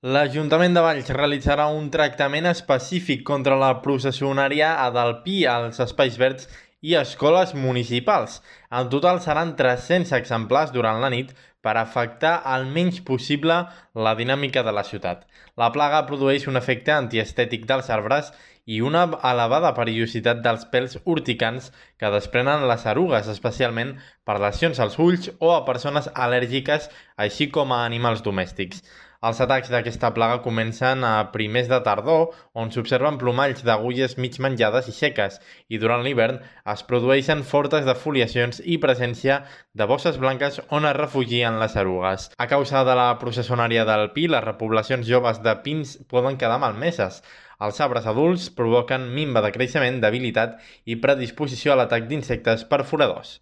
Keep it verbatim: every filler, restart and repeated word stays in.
L'Ajuntament de Valls realitzarà un tractament específic contra la processionària del Pi als espais verds i escoles municipals. En total seran tres-cents exemplars durant la nit per afectar el menys possible la dinàmica de la ciutat. La plaga produeix un efecte antiestètic dels arbres i una elevada perillositat dels pèls urticants que desprenen les erugues, especialment per lesions als ulls o a persones al·lèrgiques, així com a animals domèstics. Els atacs d'aquesta plaga comencen a primers de tardor, on s'observen plomalls d'agulles mig menjades i seques, i durant l'hivern es produeixen fortes defoliacions i presència de bosses blanques on es refugien les erugues. A causa de la processionària del pi, les repoblacions joves de pins poden quedar malmeses. Els arbres adults provoquen minva de creixement, debilitat i predisposició a l'atac d'insectes perforadors.